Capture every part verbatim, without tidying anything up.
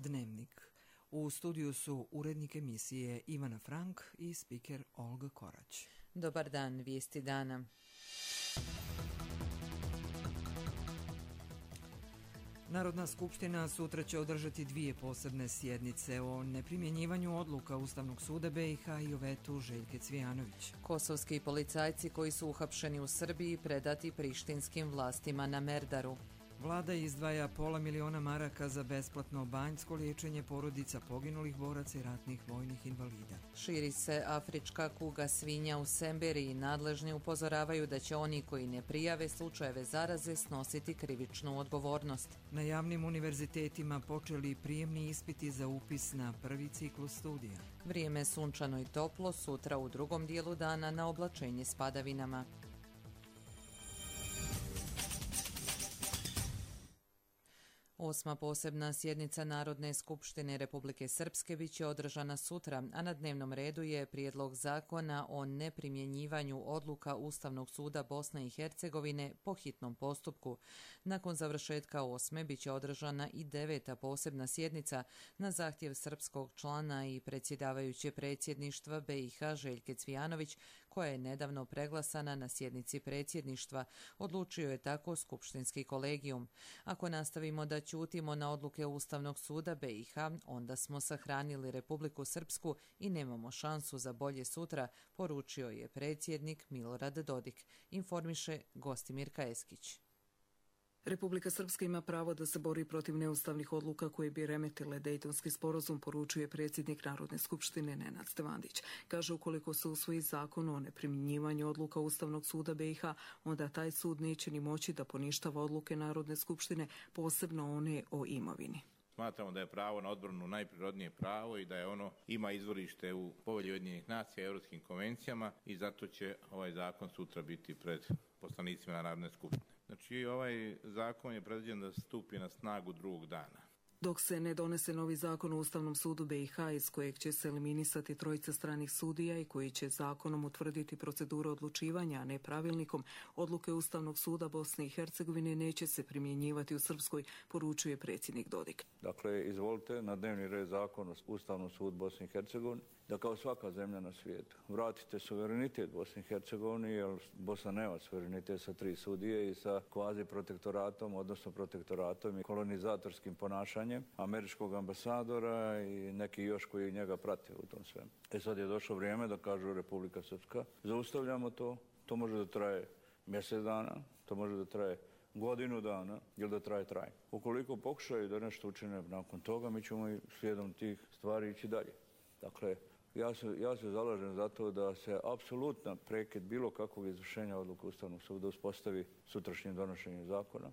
Dnevnik. U studiju su urednik emisije Ivana Frank i spiker Olga Korać. Dobar dan, vijesti dana. Narodna skupština sutra će održati dvije posebne sjednice o neprimjenjivanju odluka Ustavnog suda B i H i o vetu Željke Cvijanović. Kosovski policajci koji su uhapšeni u Srbiji predati prištinskim vlastima na Merdaru. Vlada izdvaja pola miliona maraka za besplatno banjsko liječenje porodica poginulih boraca i ratnih vojnih invalida. Širi se afrička kuga svinja u Semberiji. Nadležni upozoravaju da će oni koji ne prijave slučajeve zaraze snositi krivičnu odgovornost. Na javnim univerzitetima počeli prijemni ispiti za upis na prvi ciklus studija. Vrijeme sunčano i toplo, sutra u drugom dijelu dana na oblačenje s padavinama. Osma posebna sjednica Narodne skupštine Republike Srpske bit će održana sutra, a na dnevnom redu je prijedlog zakona o neprimjenjivanju odluka Ustavnog suda Bosne i Hercegovine po hitnom postupku. Nakon završetka osme bit će održana i deveta posebna sjednica na zahtjev srpskog člana i predsjedavajuće predsjedništva B i H Željke Cvijanović, koja je nedavno preglasana na sjednici predsjedništva. Odlučio je tako skupštinski kolegijum. Ako nastavimo da ćutimo na odluke Ustavnog suda B i H, onda smo sahranili Republiku Srpsku i nemamo šansu za bolje sutra, poručio je predsjednik Milorad Dodik, informiše Gostimir Kajeskić. Republika Srpska ima pravo da se bori protiv neustavnih odluka koje bi remetile Dejtonski sporazum, poručuje predsjednik Narodne skupštine Nenad Stevandić. Kaže, ukoliko se usvoji zakon o neprimjenjivanju odluka Ustavnog suda B i H, onda taj sud neće ni moći da poništava odluke Narodne skupštine, posebno one o imovini. Smatramo da je pravo na odbranu najprirodnije pravo i da je ono ima izvorište u Povelji Ujedinjenih nacija i europskim konvencijama i zato će ovaj zakon sutra biti pred poslanicima Narodne skupštine. Znači, ovaj zakon je predviđen da stupi na snagu drugog dana. Dok se ne donese novi zakon o Ustavnom sudu B i H iz kojeg će se eliminisati trojica stranih sudija i koji će zakonom utvrditi proceduru odlučivanja, a ne pravilnikom, odluke Ustavnog suda Bosne i Hercegovine neće se primjenjivati u Srpskoj, poručuje predsjednik Dodik. Dakle, izvolite na dnevni red zakon o Ustavnom sudu Bosne i Hercegovine, da kao svaka zemlja na svijetu vratite suverenitet Bosni i Hercegovini, jer Bosna nema suverenitet sa tri sudije i sa kvazi protektoratom, odnosno protektoratom i kolonizatorskim ponašanjem američkog ambasadora i neki još koji njega prate u tom svemu. E sad je došlo vrijeme da kažu Republika Srpska, zaustavljamo to, to može da traje mjesec dana, to može da traje godinu dana ili da traje traj. Ukoliko pokušaju da nešto učine nakon toga, mi ćemo i slijedom tih stvari ići dalje. Dakle, Ja se, ja se zalažem za to da se apsolutno prekid bilo kakvog izvršenja odluka Ustavnog suda uspostavi sutrašnjim donošenjem zakona.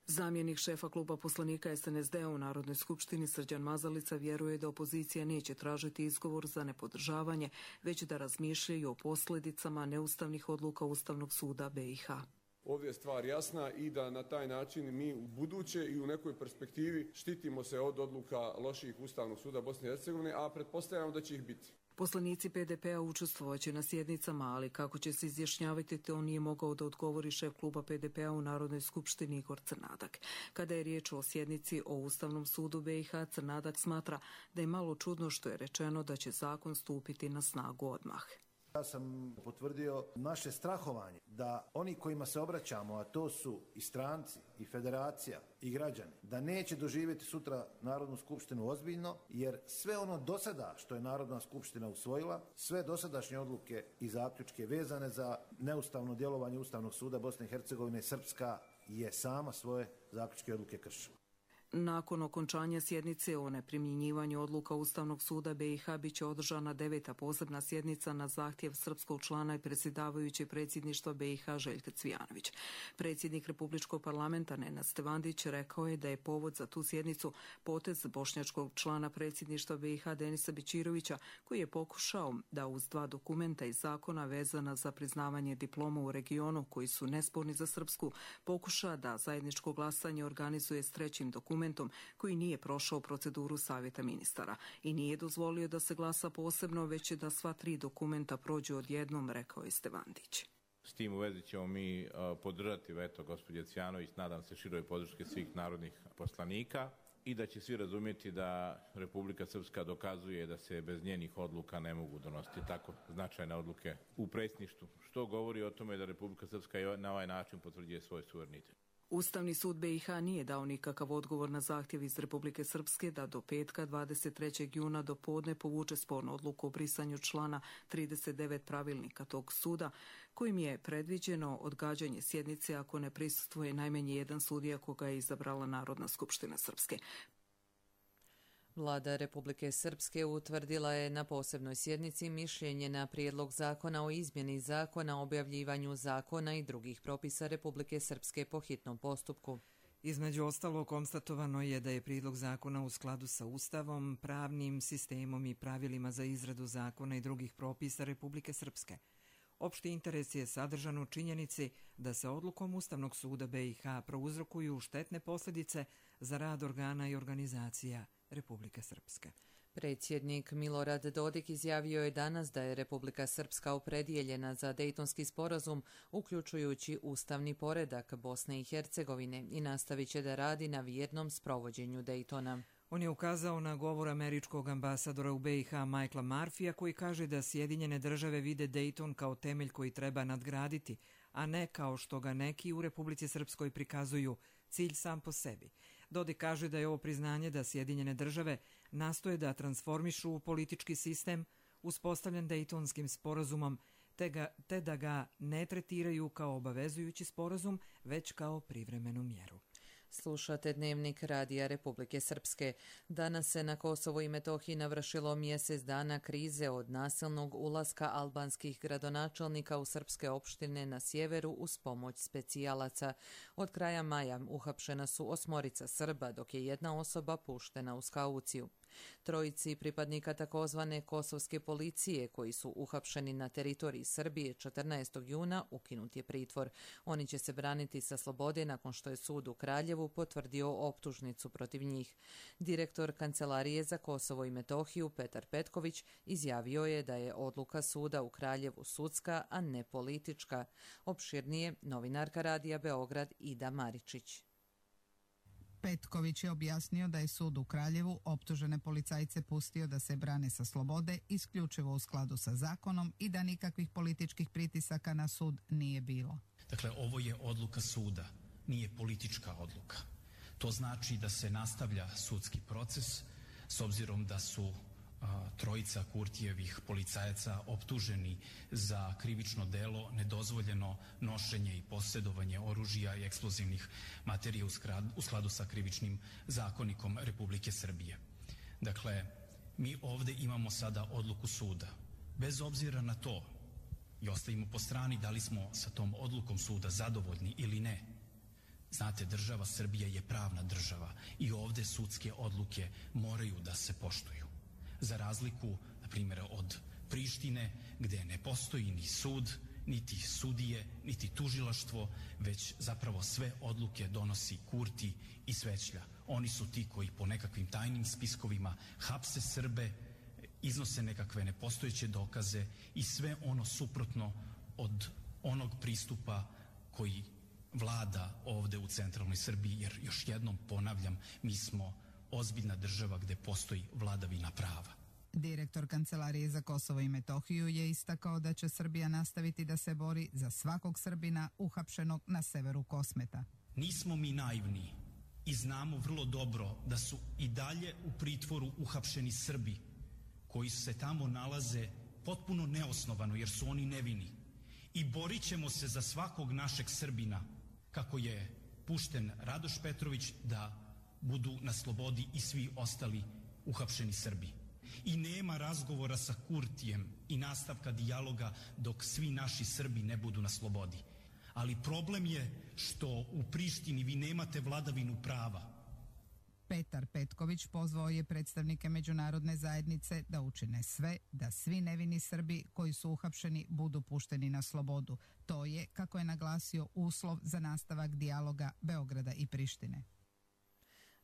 Zamjenik šefa kluba poslanika S N S D-a u Narodnoj skupštini Srđan Mazalica vjeruje da opozicija neće tražiti izgovor za nepodržavanje, već da razmišljaju o posljedicama neustavnih odluka Ustavnog suda B i H. Ovdje je stvar jasna i da na taj način mi u buduće i u nekoj perspektivi štitimo se od odluka loših Ustavnog suda Bosne i Hercegovine, a pretpostavljamo da će ih biti. Poslanici P D P-a učestvovaće na sjednicama, ali kako će se izjašnjavati, to nije mogao da odgovori šef kluba P D P-a u Narodnoj skupštini Igor Crnadak. Kada je riječ o sjednici o Ustavnom sudu B i H, Crnadak smatra da je malo čudno što je rečeno da će zakon stupiti na snagu odmah. Ja sam potvrdio naše strahovanje da oni kojima se obraćamo, a to su i stranci, i federacija, i građani, da neće doživjeti sutra Narodnu skupštinu ozbiljno, jer sve ono do sada što je Narodna skupština usvojila, sve dosadašnje odluke i zaključke vezane za neustavno djelovanje Ustavnog suda Bosne i Hercegovine, Srpska je sama svoje zaključke i odluke kršila. Nakon okončanja sjednice o neprimjenjivanju odluka Ustavnog suda B i H biće održana deveta posebna sjednica na zahtjev srpskog člana i predsjedavajuće predsjedništva B i H Željka Cvijanović. Predsjednik Republičkog parlamenta Nenad Stevandić rekao je da je povod za tu sjednicu potez bošnjačkog člana predsjedništva B i H Denisa Bećirovića, koji je pokušao da uz dva dokumenta iz zakona vezana za priznavanje diploma u regionu koji su nesporni za Srpsku, pokuša da zajedničko glasanje organizuje s trećim dokumentom koji nije prošao proceduru Savjeta ministara i nije dozvolio da se glasa posebno, već da sva tri dokumenta prođu odjednom, rekao je Stevandić. S tim u vezi ćemo mi uh, podržati veto gospođe Cvijanović, nadam se široj podrške svih narodnih poslanika i da će svi razumjeti da Republika Srpska dokazuje da se bez njenih odluka ne mogu donositi tako značajne odluke u predsjedništvu, što govori o tome da Republika Srpska na ovaj način potvrđuje svoj suverenitet. Ustavni sud B i H nije dao nikakav odgovor na zahtjev iz Republike Srpske da do petka dvadeset trećeg juna do podne povuče spornu odluku o brisanju člana trideset devet pravilnika tog suda, kojim je predviđeno odgađanje sjednice ako ne prisustvuje najmanje jedan sudija koga je izabrala Narodna skupština Srpske. Vlada Republike Srpske utvrdila je na posebnoj sjednici mišljenje na prijedlog zakona o izmjeni zakona o objavljivanju zakona i drugih propisa Republike Srpske po hitnom postupku. Između ostalo, konstatovano je da je prijedlog zakona u skladu sa Ustavom, pravnim sistemom i pravilima za izradu zakona i drugih propisa Republike Srpske. Opšti interes je sadržan u činjenici da se odlukom Ustavnog suda B i H prouzrokuju štetne posljedice za rad organa i organizacija Republike Srpske. Predsjednik Milorad Dodik izjavio je danas da je Republika Srpska opredijeljena za Dejtonski sporazum, uključujući ustavni poredak Bosne i Hercegovine, i nastavit će da radi na vjernom sprovođenju Dejtona. On je ukazao na govor američkog ambasadora u B i H Michaela Murphyja, koji kaže da Sjedinjene države vide Dejton kao temelj koji treba nadgraditi, a ne kao što ga neki u Republici Srpskoj prikazuju cilj sam po sebi. Dodik kaže da je ovo priznanje da Sjedinjene države nastoje da transformišu politički sistem uspostavljen Dejtonskim sporazumom, te, ga, te da ga ne tretiraju kao obavezujući sporazum, već kao privremenu mjeru. Slušate Dnevnik Radija Republike Srpske. Danas se na Kosovo i Metohiji navršilo mjesec dana krize od nasilnog ulaska albanskih gradonačelnika u srpske opštine na sjeveru uz pomoć specijalaca. Od kraja maja uhapšena su osmorica Srba, dok je jedna osoba puštena uz kauciju. Trojici pripadnika takozvane kosovske policije koji su uhapšeni na teritoriji Srbije četrnaestog juna ukinut je pritvor. Oni će se braniti sa slobode nakon što je sud u Kraljevu potvrdio optužnicu protiv njih. Direktor Kancelarije za Kosovo i Metohiju Petar Petković izjavio je da je odluka suda u Kraljevu sudska, a ne politička. Opširnije novinarka Radija Beograd Ida Maričić. Petković je objasnio da je sud u Kraljevu optužene policajce pustio da se brane sa slobode isključivo u skladu sa zakonom i da nikakvih političkih pritisaka na sud nije bilo. Dakle, ovo je odluka suda, nije politička odluka. To znači da se nastavlja sudski proces s obzirom da su a, trojica Kurtijevih policajaca optuženi za krivično delo nedozvoljeno nošenje i posjedovanje oružja i eksplozivnih materija u, skrad, u skladu sa krivičnim zakonikom Republike Srbije. Dakle, mi ovdje imamo sada odluku suda. Bez obzira na to, i ostavimo po strani da li smo sa tom odlukom suda zadovoljni ili ne, znate, država Srbija je pravna država i ovdje sudske odluke moraju da se poštuju. Za razliku, na primjer, od Prištine, gdje ne postoji ni sud, niti sudije, niti tužilaštvo, već zapravo sve odluke donosi Kurti i Svećlja. Oni su ti koji po nekakvim tajnim spiskovima hapse Srbe, iznose nekakve nepostojeće dokaze i sve ono suprotno od onog pristupa koji vlada ovdje u centralnoj Srbiji, jer još jednom ponavljam, mi smo ozbiljna država gdje postoji vladavina prava. Direktor Kancelarije za Kosovo i Metohiju je istakao da će Srbija nastaviti da se bori za svakog Srbina uhapšenog na severu Kosmeta. Nismo mi naivni i znamo vrlo dobro da su i dalje u pritvoru uhapšeni Srbi koji se tamo nalaze potpuno neosnovano jer su oni nevini. I borit ćemo se za svakog našeg Srbina, kako je pušten Radoš Petrović, da budu na slobodi i svi ostali uhapšeni Srbi. I nema razgovora sa Kurtijem i nastavka dijaloga dok svi naši Srbi ne budu na slobodi. Ali problem je što u Prištini vi nemate vladavinu prava. Petar Petković pozvao je predstavnike međunarodne zajednice da učine sve da svi nevini Srbi koji su uhapšeni budu pušteni na slobodu. To je, kako je naglasio, uslov za nastavak dijaloga Beograda i Prištine.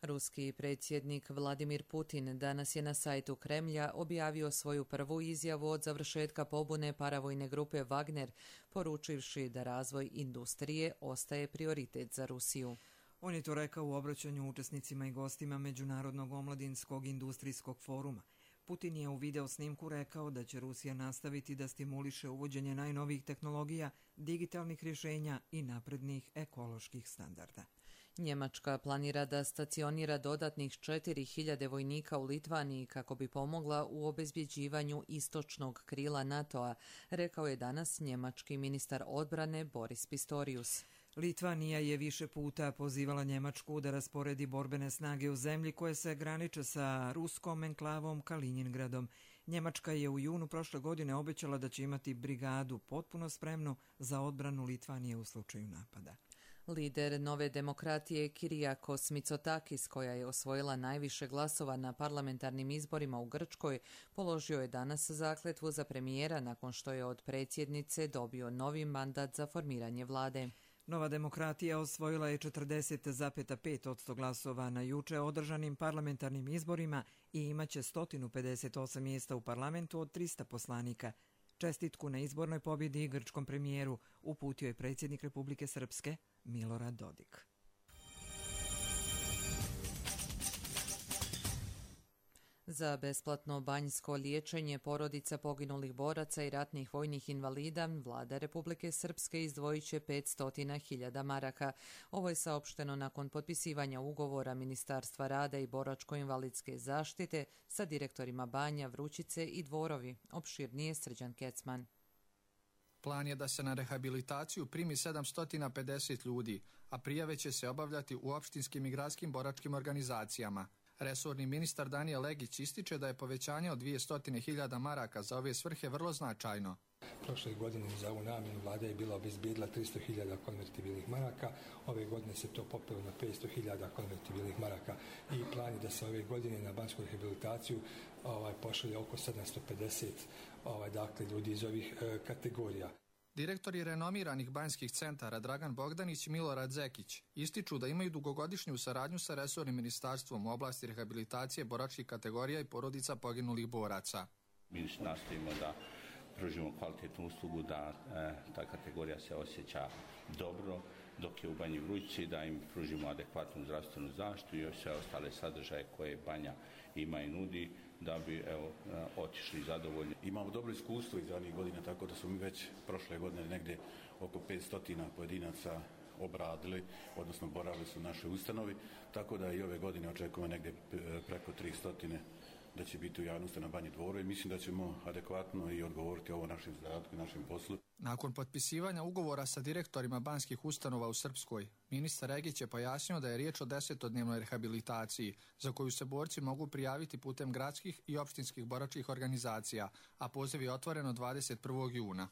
Ruski predsjednik Vladimir Putin danas je na sajtu Kremlja objavio svoju prvu izjavu od završetka pobune paravojne grupe Wagner, poručivši da razvoj industrije ostaje prioritet za Rusiju. On je to rekao u obraćanju učesnicima i gostima Međunarodnog omladinskog industrijskog foruma. Putin je u video snimku rekao da će Rusija nastaviti da stimuliše uvođenje najnovijih tehnologija, digitalnih rješenja i naprednih ekoloških standarda. Njemačka planira da stacionira dodatnih četiri hiljade vojnika u Litvaniji kako bi pomogla u obezbjeđivanju istočnog krila NATO-a, rekao je danas njemački ministar odbrane Boris Pistorius. Litvanija je više puta pozivala Njemačku da rasporedi borbene snage u zemlji koje se graniče sa ruskom enklavom Kalinjingradom. Njemačka je u junu prošle godine obećala da će imati brigadu potpuno spremnu za odbranu Litvanije u slučaju napada. Lider Nove demokratije Kyriakos Mitsotakis, koja je osvojila najviše glasova na parlamentarnim izborima u Grčkoj, položio je danas zakletvu za premijera nakon što je od predsjednice dobio novi mandat za formiranje vlade. Nova demokratija osvojila je četrdeset zarez pet posto glasova na juče održanim parlamentarnim izborima i imaće sto pedeset osam mjesta u parlamentu od trista poslanika. Čestitku na izbornoj pobjedi grčkom premijeru uputio je predsjednik Republike Srpske Milorad Dodik. Za besplatno banjsko liječenje porodica poginulih boraca i ratnih vojnih invalida vlada Republike Srpske izdvojit će petsto hiljada maraka. Ovo je saopšteno nakon potpisivanja ugovora Ministarstva rada i boračko-invalidske zaštite sa direktorima Banja, Vrućice i Dvorovi. Opširnije Srđan Kecman. Plan je da se na rehabilitaciju primi sedamsto pedeset ljudi, a prijave će se obavljati u opštinskim i gradskim boračkim organizacijama. Resorni ministar Danijel Legić ističe da je povećanje od dvjesto hiljada maraka za ove svrhe vrlo značajno. Prošle godine za ovu namjenu vlada je bila obezbijedila tristo hiljada konvertibilnih maraka, ove godine se to popelo na petsto hiljada konvertibilnih maraka i plan je da se ove godine na banjsku rehabilitaciju ovaj, pošalje oko sedamsto pedeset ovaj, dakle, ljudi iz ovih e, kategorija. Direktori renomiranih banjskih centara Dragan Bogdanić i Milorad Zekić ističu da imaju dugogodišnju saradnju sa resornim ministarstvom u oblasti rehabilitacije boračkih kategorija i porodica poginulih boraca. Mi nastojimo da pružimo kvalitetnu uslugu, da e, ta kategorija se osjeća dobro, dok je u Banji Vrućici, da im pružimo adekvatnu zdravstvenu zaštitu i još sve ostale sadržaje koje Banja ima i nudi, da bi evo, otišli zadovoljni. Imamo dobro iskustvo iz zadnjih godina, tako da smo mi već prošle godine negdje oko petsto pojedinaca obradili, odnosno boravili su u našoj ustanovi, tako da i ove godine očekujemo negdje preko tristo da će biti u javnosti na Banji Dvoru i mislim da ćemo adekvatno i odgovoriti ovo našem zadatku i našem poslu. Nakon potpisivanja ugovora sa direktorima banjskih ustanova u Srpskoj, ministar Regić je pojasnio da je riječ o desetodnevnoj rehabilitaciji za koju se borci mogu prijaviti putem gradskih i opštinskih boračkih organizacija, a poziv je otvoren od dvadeset prvog juna.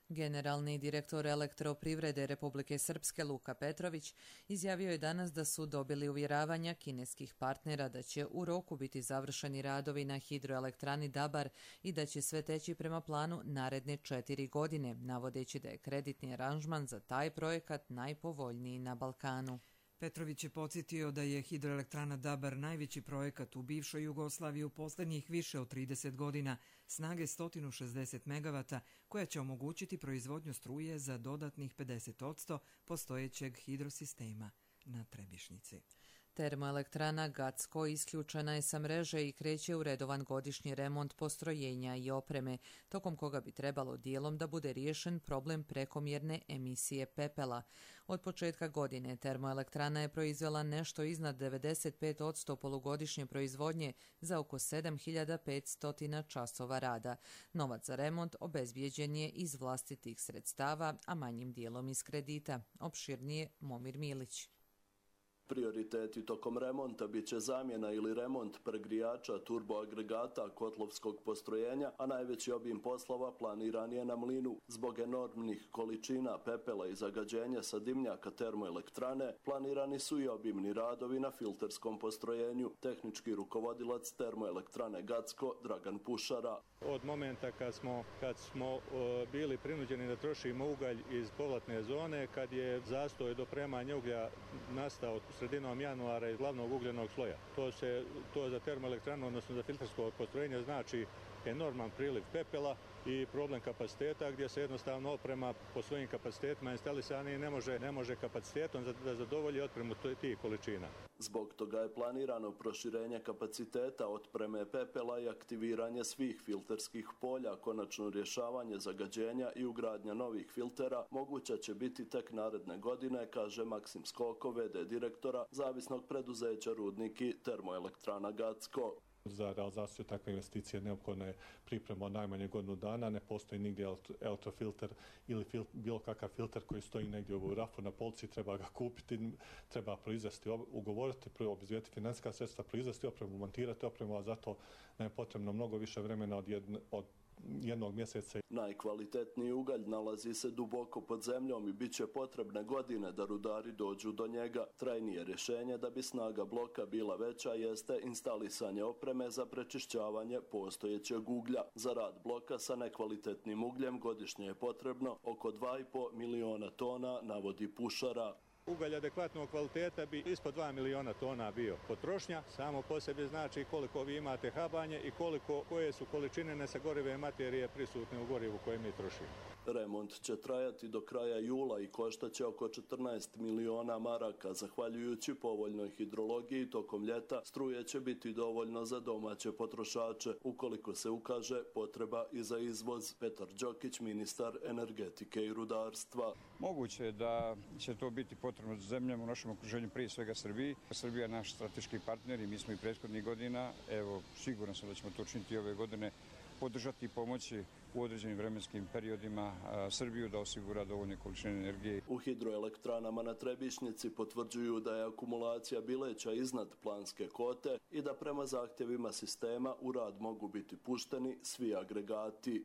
Generalni direktor Elektroprivrede Republike Srpske Luka Petrović izjavio je danas da su dobili uvjeravanja kineskih partnera da će u roku biti završeni radovi na hidroelektrani Dabar i da će sve teći prema planu naredne četiri godine, navodeći da je kreditni aranžman za taj projekat najpovoljniji na Balkanu. Petrović je podsjetio da je hidroelektrana Dabar najveći projekat u bivšoj Jugoslaviji u posljednjih više od trideset godina, snage sto šezdeset megavata, koja će omogućiti proizvodnju struje za dodatnih pedeset posto postojećeg hidrosistema na Trebišnici. Termoelektrana Gacko isključena je sa mreže i kreće u redovan godišnji remont postrojenja i opreme, tokom koga bi trebalo dijelom da bude riješen problem prekomjerne emisije pepela. Od početka godine termoelektrana je proizvela nešto iznad devedeset pet posto polugodišnje proizvodnje za oko sedam hiljada petsto časova rada. Novac za remont obezbijeđen je iz vlastitih sredstava, a manjim dijelom iz kredita. Opširnije Momir Milić. Prioriteti tokom remonta bit će zamjena ili remont pregrijača turboagregata kotlovskog postrojenja, a najveći obim poslova planiran je na mlinu. Zbog enormnih količina pepela i zagađenja sa dimnjaka termoelektrane planirani su i obimni radovi na filterskom postrojenju. Tehnički rukovodilac termoelektrane Gacko Dragan Pušara. Od momenta kad smo, kad smo uh, bili prinuđeni da trošimo ugalj iz povratne zone, kad je zastoj dopremanja uglja nastao sredinom januara iz glavnog ugljenog sloja. To se to za termoelektranu, odnosno za filtersko postrojenje, znači enorman priliv pepela i problem kapaciteta gdje se jednostavno oprema po svojim kapacitetima instalisani ne može, ne može kapacitetom da zadovolji otpremu tih količina. Zbog toga je planirano proširenje kapaciteta otpreme pepela i aktiviranje svih filterskih polja, konačno rješavanje zagađenja i ugradnja novih filtera moguća će biti tek naredne godine, kaže Maksim Skoko, v d direktora zavisnog preduzeća Rudniki Termoelektrana Gacko. Za realizaciju takve investicije neophodna je priprema od najmanje godinu dana, ne postoji nigdje elektrofilter ili fil, bilo kakav filter koji stoji negdje u rafu na polici, treba ga kupiti, treba proizvesti, ugovoriti, obezbijediti financijska sredstva, proizvesti opremu, montirati opremu, a zato nam je potrebno mnogo više vremena od, jedne, od jednog mjeseca. Najkvalitetniji ugalj nalazi se duboko pod zemljom i bit će potrebne godine da rudari dođu do njega. Trajnije rješenje da bi snaga bloka bila veća jeste instalisanje opreme za prečišćavanje postojećeg uglja. Za rad bloka sa nekvalitetnim ugljem godišnje je potrebno oko dva i po miliona tona, navodi Pušara. Ugalj adekvatnog kvaliteta bi ispod dva miliona tona bio. Potrošnja samo po sebi znači koliko vi imate habanje i koliko, koje su količine nesagorive materije prisutne u gorivu koje mi trošimo. Remont će trajati do kraja jula i koštaće oko četrnaest miliona maraka. Zahvaljujući povoljnoj hidrologiji tokom ljeta struje će biti dovoljno za domaće potrošače ukoliko se ukaže potreba i za izvoz. Petar Đokić, ministar energetike i rudarstva. Moguće je da će to biti potrebno za zemljama u našem okruženju, prije svega Srbiji. Srbija je naš strateški partner i mi smo i prethodnih godina, evo siguran sam da ćemo to učiniti ove godine, podržati i pomoći u određenim vremenskim periodima Srbiju da osigura dovoljne količine energije. U hidroelektranama na Trebišnjici potvrđuju da je akumulacija Bileća iznad planske kote i da prema zahtjevima sistema u rad mogu biti pušteni svi agregati.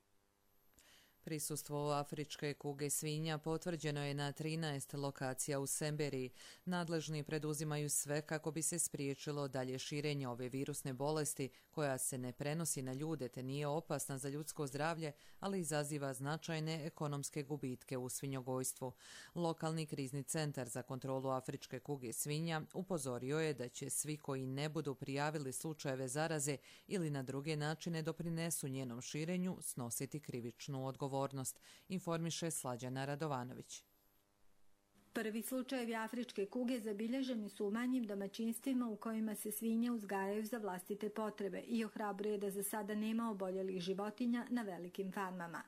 Prisustvo afričke kuge svinja potvrđeno je na trinaest lokacija u Semberiji. Nadležni preduzimaju sve kako bi se spriječilo dalje širenje ove virusne bolesti koja se ne prenosi na ljude te nije opasna za ljudsko zdravlje, ali izaziva značajne ekonomske gubitke u svinjogojstvu. Lokalni krizni centar za kontrolu afričke kuge svinja upozorio je da će svi koji ne budu prijavili slučajeve zaraze ili na druge načine doprinesu njenom širenju snositi krivičnu odgovornost. Informiše Slađana Radovanović. Prvi slučajevi afričke kuge zabilježeni su u manjim domaćinstvima u kojima se svinje uzgajaju za vlastite potrebe i ohrabruje da za sada nema oboljelih životinja na velikim farmama.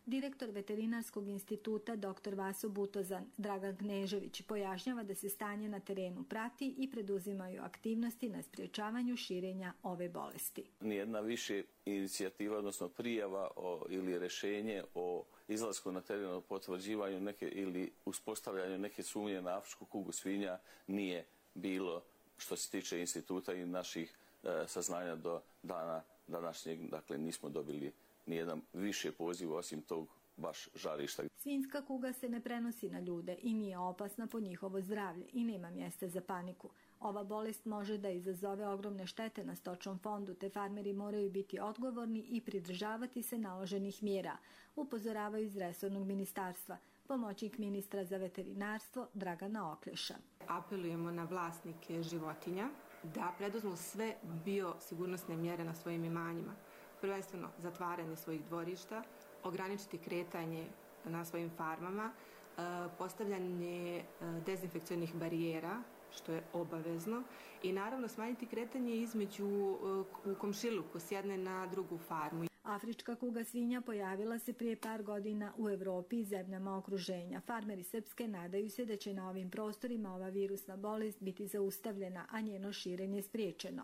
Direktor Veterinarskog instituta dr Vaso Butozan Dragan Knežević pojašnjava da se stanje na terenu prati i preduzimaju aktivnosti na sprječavanju širenja ove bolesti. Nijedna više inicijativa, odnosno prijava o, ili rješenje o izlasku na teren, o potvrđivanju neke ili uspostavljanju neke sumnje na afričku kugu svinja nije bilo što se tiče instituta i naših e, saznanja do dana današnjeg. Dakle, nismo dobili nijedan više poziv osim tog baš žarišta. Svinjska kuga se ne prenosi na ljude i nije opasna po njihovo zdravlje i nema mjesta za paniku. Ova bolest može da izazove ogromne štete na stočnom fondu, te farmeri moraju biti odgovorni i pridržavati se naloženih mjera, upozoravaju iz resornog ministarstva. Pomoćnik ministra za veterinarstvo Dragana Oklješa. Apelujemo na vlasnike životinja da preduzmu sve biosigurnosne mjere na svojim imanjima. Prvenstveno zatvaranje svojih dvorišta, ograničiti kretanje na svojim farmama, postavljanje dezinfekcionih barijera, što je obavezno, i naravno smanjiti kretanje između u komšiluku s jedne na drugu farmu. Afrička kuga svinja pojavila se prije par godina u Evropi i zemljama okruženja. Farmeri Srpske nadaju se da će na ovim prostorima ova virusna bolest biti zaustavljena, a njeno širenje spriječeno.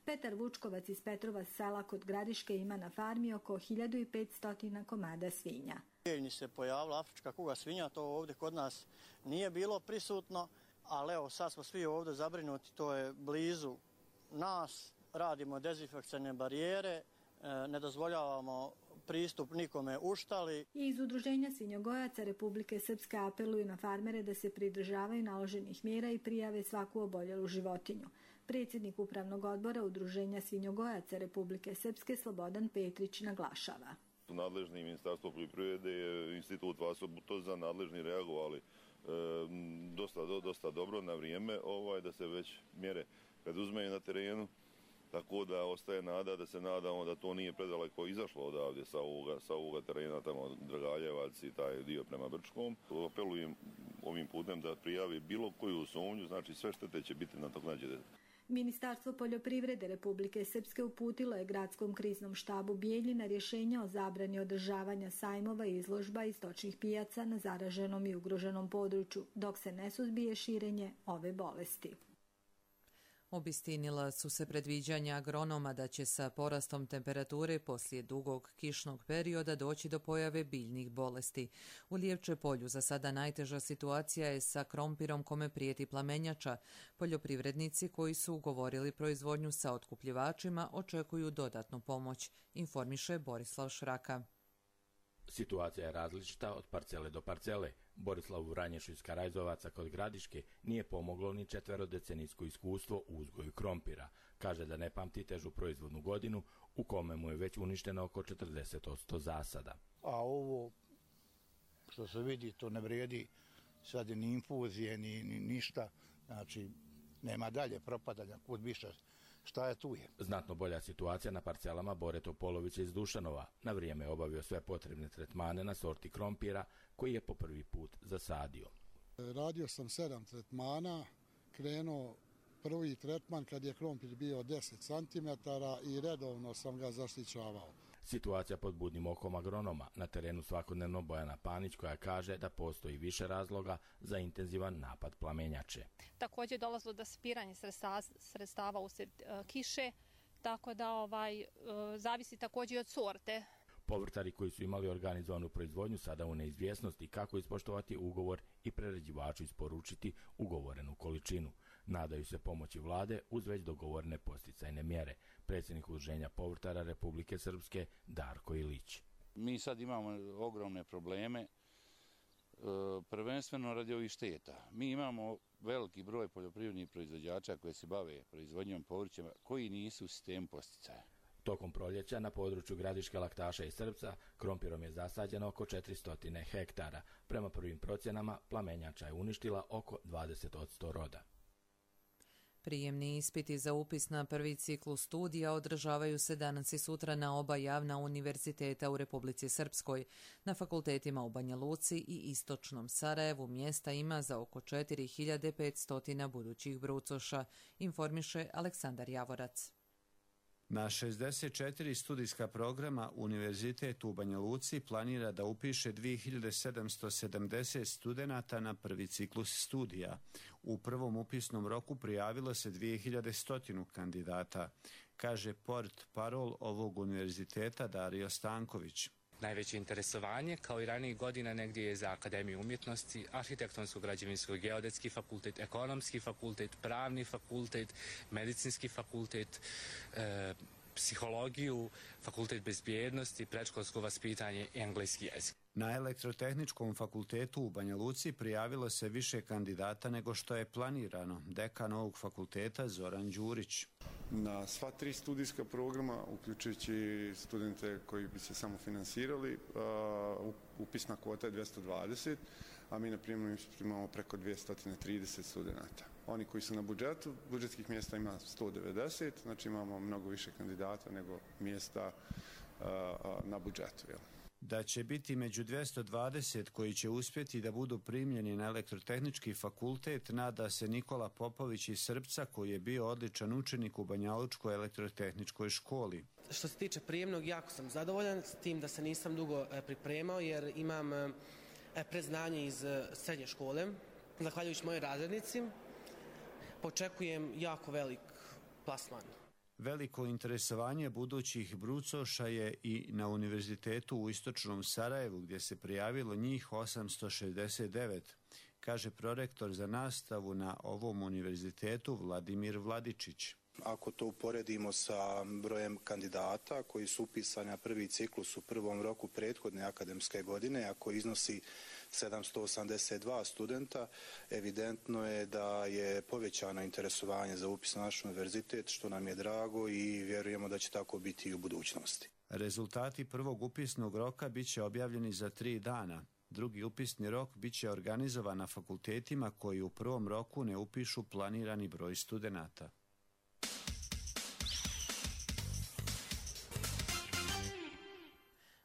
Petar Vučkovac iz Petrova sela kod Gradiške ima na farmi oko hiljadu petsto komada svinja. Ni se pojavila afrička kuga svinja, to ovdje kod nas nije bilo prisutno, ali evo sad smo svi ovdje zabrinuti, to je blizu nas, radimo dezinfekcijne barijere, ne dozvoljavamo pristup nikome u štali. I iz Udruženja svinjogojaca Republike Srpske apeluju na farmere da se pridržavaju naloženih mjera i prijave svaku oboljelu životinju. Predsjednik Upravnog odbora Udruženja svinjogojaca Republike Srpske Slobodan Petrić naglašava. Nadležni Ministarstvo poljoprivrede je institut Vaso Butozan, nadležni reagovali e, dosta, do, dosta dobro na vrijeme ovaj, da se već mjere preduzmeju na terenu tako da ostaje nada da se nadamo da to nije predaleko izašlo odavde sa ovoga, sa ovoga terena tamo Dragaljevac i taj dio prema Brčkom. Apelujem ovim putem da prijavi bilo koju sumnju, znači sve štete će biti nadoknađene. Ministarstvo poljoprivrede Republike Srpske uputilo je gradskom kriznom štabu Bijeljina rješenje o zabrani održavanja sajmova i izložba i stočnih pijaca na zaraženom i ugroženom području, dok se ne suzbije širenje ove bolesti. Obistinila su se predviđanja agronoma da će sa porastom temperature poslije dugog kišnog perioda doći do pojave biljnih bolesti. U Lijevče polju za sada najteža situacija je sa krompirom kome prijeti plamenjača. Poljoprivrednici koji su ugovorili proizvodnju sa otkupljivačima očekuju dodatnu pomoć, informiše Borislav Šraka. Situacija je različita od parcele do parcele. Borislavu Vranješu iz Karajzovaca kod Gradiške nije pomoglo ni četverodecenijsko iskustvo u uzgoju krompira. Kaže da ne pamti težu proizvodnu godinu u kome mu je već uništeno oko četrdeset posto zasada. A ovo što se vidi, to ne vrijedi sad ni infuzije, ni, ni ništa. Znači, nema dalje propadanja, kud više. Šta je tu je? Znatno bolja situacija na parcelama Bore Topolovića iz Dušanova. Na vrijeme je obavio sve potrebne tretmane na sorti krompira koji je po prvi put zasadio. Radio sam sedam tretmana, krenuo prvi tretman kad je krompir bio deset centimetara i redovno sam ga zaštićavao. Situacija pod budnim okom agronoma. Na terenu svakodnevno Bojana Panić koja kaže da postoji više razloga za intenzivan napad plamenjače. Također dolazilo do spiranja sredstava usred uh, kiše, tako da ovaj, uh, zavisi također i od sorte. Povrtari koji su imali organizovanu proizvodnju sada u neizvjesnosti kako ispoštovati ugovor i prerađivaču isporučiti ugovorenu količinu. Nadaju se pomoći vlade uz već dogovorene posticajne mjere. Predsjednik Udruženja povrtara Republike Srpske Darko Ilić. Mi sad imamo ogromne probleme, prvenstveno radi ovih šteta. Mi imamo veliki broj poljoprivrednih proizvođača koji se bave proizvodnjom povrća koji nisu u sistemu posticaja. Tokom proljeća na području Gradiške, Laktaša i Srpca krompirom je zasađeno oko četiristo hektara. Prema prvim procjenama plamenjača je uništila oko dvadeset posto roda. Prijemni ispiti za upis na prvi ciklus studija održavaju se danas i sutra na oba javna univerziteta u Republici Srpskoj. Na fakultetima u Banja Luci i Istočnom Sarajevu mjesta ima za oko četiri hiljade petsto budućih brucoša, informiše Aleksandar Javorac. Na šezdeset četiri studijska programa Univerzitet u Banja Luci planira da upiše dvije hiljade sedamsto sedamdeset studenata na prvi ciklus studija. U prvom upisnom roku prijavilo se dvije hiljade sto kandidata, kaže port parol ovog univerziteta Dario Stanković. Najveće interesovanje, kao i ranijih godina, negdje je za Akademiju umjetnosti, arhitektonsko-građevinsko, geodetski fakultet, ekonomski fakultet, pravni fakultet, medicinski fakultet, e, psihologiju, fakultet bezbjednosti, predškolsko vaspitanje i engleski jezik. Na Elektrotehničkom fakultetu u Banja Luci prijavilo se više kandidata nego što je planirano. Dekan ovog fakulteta Zoran Đurić. Na sva tri studijska programa, uključujući studente koji bi se samo finansirali, upisna kvota je dvjesto dvadeset, a mi na primjer imamo preko dvjesto trideset studenta. Oni koji su na budžetu, budžetskih mjesta ima sto devedeset, znači imamo mnogo više kandidata nego mjesta na budžetu. Jel? Da će biti među dvjesto dvadeset koji će uspjeti da budu primljeni na Elektrotehnički fakultet, nada se Nikola Popović iz Srpca, koji je bio odličan učenik u Banjalučkoj elektrotehničkoj školi. Što se tiče prijemnog, jako sam zadovoljan s tim da se nisam dugo pripremao jer imam predznanje iz srednje škole. Zahvaljujući mojoj razrednici, očekujem jako velik plasman. Veliko interesovanje budućih brucoša je i na univerzitetu u Istočnom Sarajevu, gdje se prijavilo njih osamsto šezdeset devet, kaže prorektor za nastavu na ovom univerzitetu Vladimir Vladičić. Ako to uporedimo sa brojem kandidata koji su upisani na prvi ciklus u prvom roku prethodne akademske godine, ako iznosi sedamsto osamdeset dva studenta, evidentno je da je povećano interesovanje za upis na naš univerzitet, što nam je drago i vjerujemo da će tako biti i u budućnosti. Rezultati prvog upisnog roka bit će objavljeni za tri dana. Drugi upisni rok bit će organizovan na fakultetima koji u prvom roku ne upišu planirani broj studenata.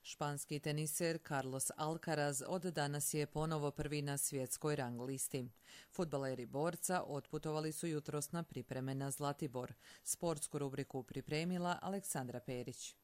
Španski teniser Carlos Alcaraz od danas je ponovo prvi na svjetskoj rang listi. Fudbaleri borca otputovali su jutros na pripreme na Zlatibor. Sportsku rubriku pripremila Aleksandra Perić.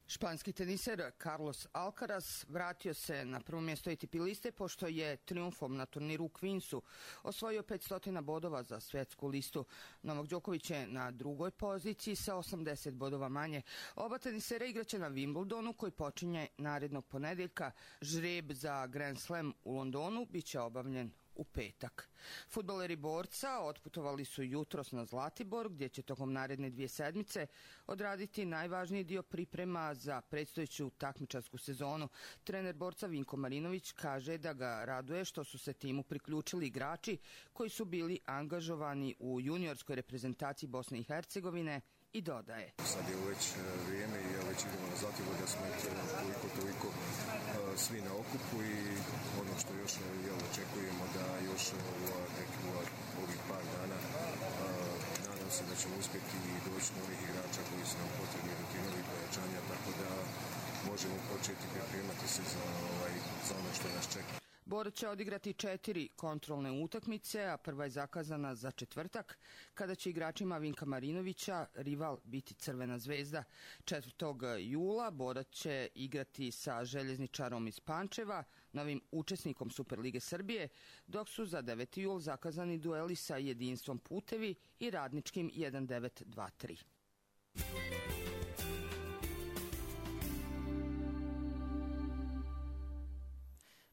Španski teniser Carlos Alcaraz vratio se na prvo mjesto A T P liste pošto je triumfom na turniru u Queensu osvojio petsto bodova za svjetsku listu. Novak Đoković je na drugoj poziciji sa osamdeset bodova manje. Oba tenisera igraće na Wimbledonu koji počinje narednog ponedjeljka. Žreb za Grand Slam u Londonu bit će obavljen u petak. Fudbaleri borca otputovali su jutros na Zlatibor gdje će tokom naredne dvije sedmice odraditi najvažniji dio priprema za predstojeću takmičarsku sezonu. Trener borca Vinko Marinović kaže da ga raduje što su se timu priključili igrači koji su bili angažovani u juniorskoj reprezentaciji Bosne i Hercegovine i dodaje. Sad je već vrijeme i ja već idemo na Zlatibor da smo toliko, toliko uh, svi na okupu i ono što još jel, očekujemo da još u ovih par dana uh, nadam se da ćemo uspjeti i doći novih igrača koji su nam potrebni do tih novih pojačanja, tako da možemo početi pripremati se za, ovaj, za ono što nas čeka. Borac će odigrati četiri kontrolne utakmice, a prva je zakazana za četvrtak, kada će igračima Vinka Marinovića rival biti Crvena zvezda. četvrtog jula Borac će igrati sa Željezničarom iz Pančeva, novim učesnikom Superlige Srbije, dok su za deveti jul zakazani dueli sa Jedinstvom Putevi i Radničkim jedan devet dva tri.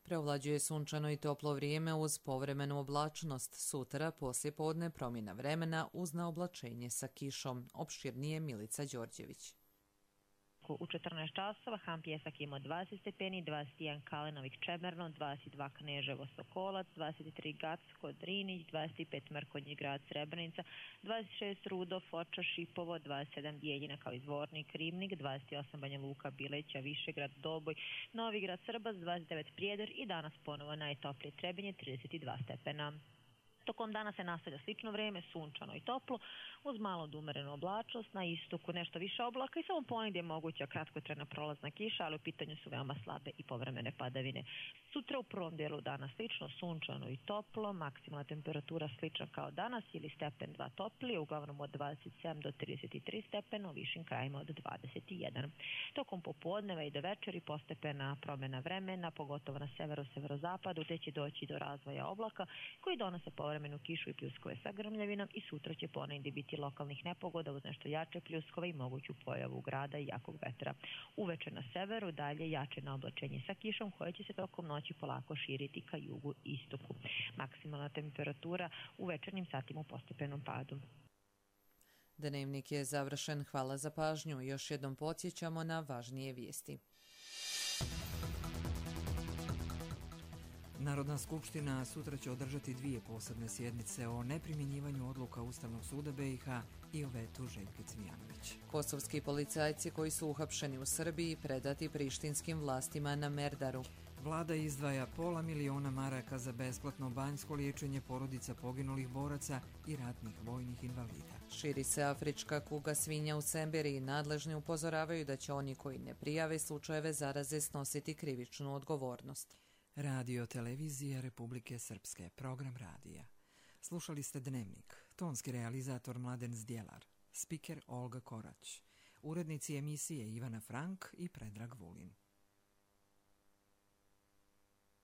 Preovlađuje sunčano i toplo vrijeme uz povremenu oblačnost. Sutra poslijepodne promjena vremena uz naoblačenje sa kišom. Opširnije Milica Đorđević. U četrnaest časova Han Pjesak ima dvadeset stepeni, dvadeset jedan Kalenovik Čemerno, dvadeset dva Kneževo Sokolac, dvadeset tri Gacko Drinić, dvadeset pet Mrkonji Grad Srebrenica, dvadeset šest Rudo, Foča, Šipovo, dvadeset sedam Bijeljina kao izvornik Rivnik, dvadeset osam Banja Luka, Bileća, Višegrad, Doboj, Novigrad, Srbac, dvadeset devet Prijedor i danas ponovo najtoplije Trebinje, trideset dva stepena. Tokom dana se nastavlja slično vrijeme, sunčano i toplo, uz malo umerenu oblačnost, na istoku nešto više oblaka i samo ponegdje je moguća kratkotrajna prolazna kiša, ali u pitanju su veoma slabe i povremene padavine. Sutra u prvom dijelu dana slično, sunčano i toplo, maksimalna temperatura slična kao danas ili stepen dva toplije, uglavnom od dvadeset sedam do trideset tri stepena, u višim krajima od dvadeset jedan. Tokom popodneva i do večeri postepena promjena vremena, pogotovo na severu, severozapadu, gdje će doći do razvoja oblaka koji donose povremenu kišu i pljuskove sa grmljavinom i sutra će ponegdje biti lokalnih nepogoda uz nešto jače pljuskove i moguću pojavu grada i jakog vetra. Uveče na severu dalje jače na oblačenje sa kišom koje će se tokom noći polako širiti ka jugu i istoku. Maksimalna temperatura u večernjim satima u postepenom padu. Dnevnik je završen. Hvala za pažnju. Još jednom podsjećamo na važnije vijesti. Narodna skupština sutra će održati dvije posebne sjednice o neprimjenjivanju odluka Ustavnog suda B i H i o vetu Željke Cvijanović. Kosovski policajci koji su uhapšeni u Srbiji predati prištinskim vlastima na Merdaru. Vlada izdvaja pola miliona maraka za besplatno banjsko liječenje porodica poginulih boraca i ratnih vojnih invalida. Širi se afrička kuga svinja u Semberiji. Nadležni upozoravaju da će oni koji ne prijave slučajeve zaraze snositi krivičnu odgovornost. Radio Televizija Republike Srpske, program radija. Slušali ste Dnevnik, tonski realizator Mladen Zdjelar, spiker Olga Korać, urednici emisije Ivana Frank i Predrag Vulin.